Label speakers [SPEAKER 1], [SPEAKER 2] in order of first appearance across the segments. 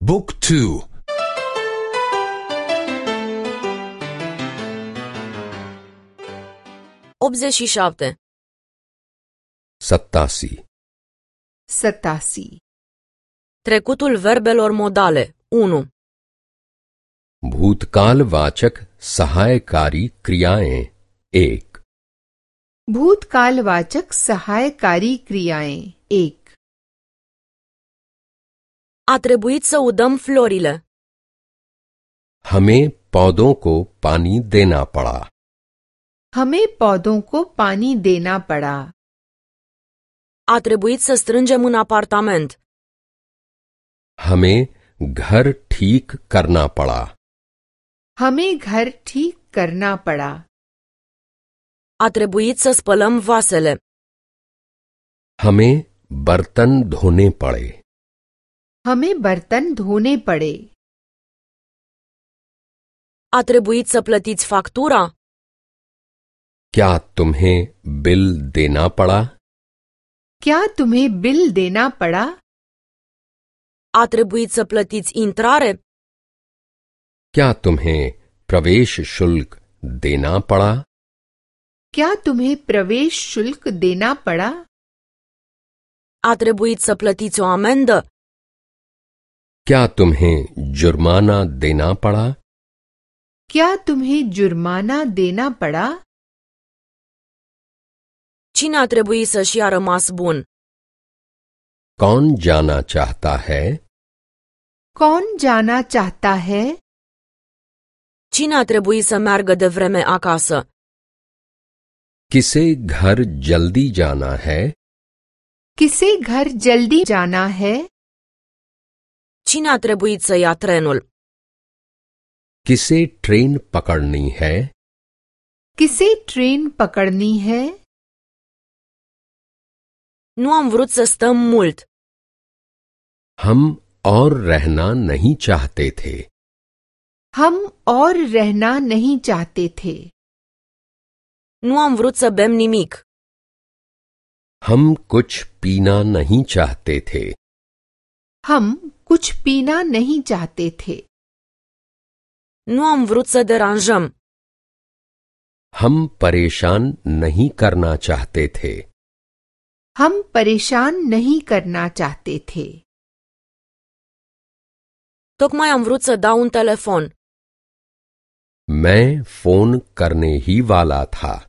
[SPEAKER 1] Book 2.
[SPEAKER 2] 87.
[SPEAKER 3] 87.
[SPEAKER 4] 87.
[SPEAKER 2] Trecutul verbelor modale 1.
[SPEAKER 3] भूतकाल वाचक सहायकारी क्रियाएं 1.
[SPEAKER 4] भूतकालवाचक सहायकारी क्रियाएं 1.
[SPEAKER 2] A trebuit să udăm florile.
[SPEAKER 3] हमें पौधों को पानी देना पड़ा।
[SPEAKER 4] हमें पौधों को पानी देना पड़ा।
[SPEAKER 2] A trebuit să strângem în apartament.
[SPEAKER 3] हमें घर ठीक करना पड़ा।
[SPEAKER 4] हमें घर ठीक करना पड़ा।
[SPEAKER 2] A trebuit să spălăm vasele.
[SPEAKER 3] हमें बर्तन धोने पड़े।
[SPEAKER 4] हमें बर्तन धोने पड़े।
[SPEAKER 2] A trebuit să plătiți factura?
[SPEAKER 3] क्या तुम्हें बिल देना पड़ा?
[SPEAKER 4] क्या तुम्हें बिल देना पड़ा?
[SPEAKER 2] A trebuit să plătiți intrare?
[SPEAKER 3] क्या तुम्हें प्रवेश शुल्क देना पड़ा?
[SPEAKER 4] क्या तुम्हें प्रवेश शुल्क देना पड़ा?
[SPEAKER 2] A trebuit să plătiți o amendă?
[SPEAKER 3] क्या तुम्हें जुर्माना देना पड़ा?
[SPEAKER 4] क्या तुम्हें जुर्माना देना पड़ा?
[SPEAKER 2] Cine a trebuit să-și ia rămas bun?
[SPEAKER 3] कौन जाना चाहता है?
[SPEAKER 4] कौन जाना चाहता है?
[SPEAKER 2] Cine a trebuit să meargă de vreme acasă?
[SPEAKER 3] किसे घर जल्दी जाना है?
[SPEAKER 4] किसे घर जल्दी जाना है?
[SPEAKER 2] Cine a trebuit să ia trenul?
[SPEAKER 3] किसे ट्रेन पकड़नी है?
[SPEAKER 4] किसे ट्रेन पकड़नी है?
[SPEAKER 2] Nu am vrut să stăm mult.
[SPEAKER 3] हम और रहना नहीं चाहते थे।
[SPEAKER 4] हम और रहना नहीं चाहते थे।
[SPEAKER 2] Nu am vrut să bem nimic.
[SPEAKER 3] हम कुछ पीना नहीं चाहते थे।
[SPEAKER 4] हम कुछ पीना नहीं चाहते थे।
[SPEAKER 2] Nu am vrut să deranjăm.
[SPEAKER 3] हम परेशान नहीं करना चाहते थे।
[SPEAKER 4] हम परेशान नहीं करना चाहते थे।
[SPEAKER 2] Tocmai am vrut să dau un telefon.
[SPEAKER 3] मैं फोन करने ही वाला था।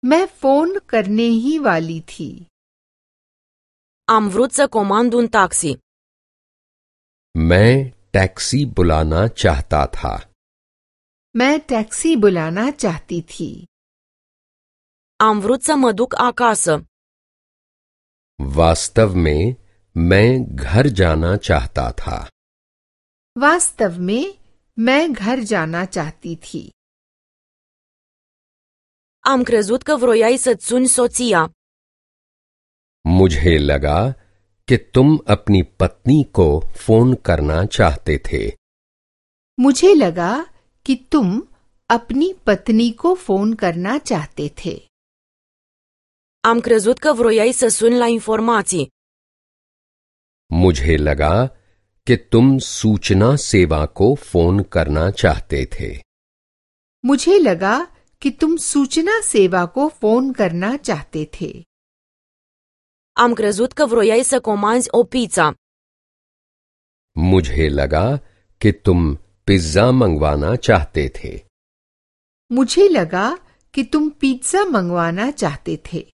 [SPEAKER 4] मैं फोन करने ही वाली थी।
[SPEAKER 2] Am vrut să comand un taxi.
[SPEAKER 3] मैं टैक्सी बुलाना चाहता था।
[SPEAKER 4] मैं टैक्सी बुलाना चाहती थी।
[SPEAKER 2] Am vrut să mă duc acasă.
[SPEAKER 3] वास्तव में मैं घर जाना चाहता था।
[SPEAKER 4] वास्तव में मैं घर जाना चाहती थी।
[SPEAKER 2] Am crezut că vroiai să-ți suni soția.
[SPEAKER 3] मुझे लगा कि तुम अपनी पत्नी को फोन करना चाहते थे।
[SPEAKER 4] मुझे लगा कि तुम अपनी पत्नी को फोन करना चाहते थे।
[SPEAKER 2] Am crezut că vroiai să suni la informații.
[SPEAKER 3] मुझे लगा कि तुम सूचना सेवा को फोन करना चाहते थे।
[SPEAKER 4] मुझे लगा कि तुम सूचना सेवा को फोन करना चाहते थे।
[SPEAKER 2] Am crezut că vroiai să comanzi o pizza.
[SPEAKER 3] मुझे लगा कि तुम पिज्जा मंगवाना चाहते थे।
[SPEAKER 4] मुझे लगा कि तुम पिज्जा मंगवाना चाहते थे।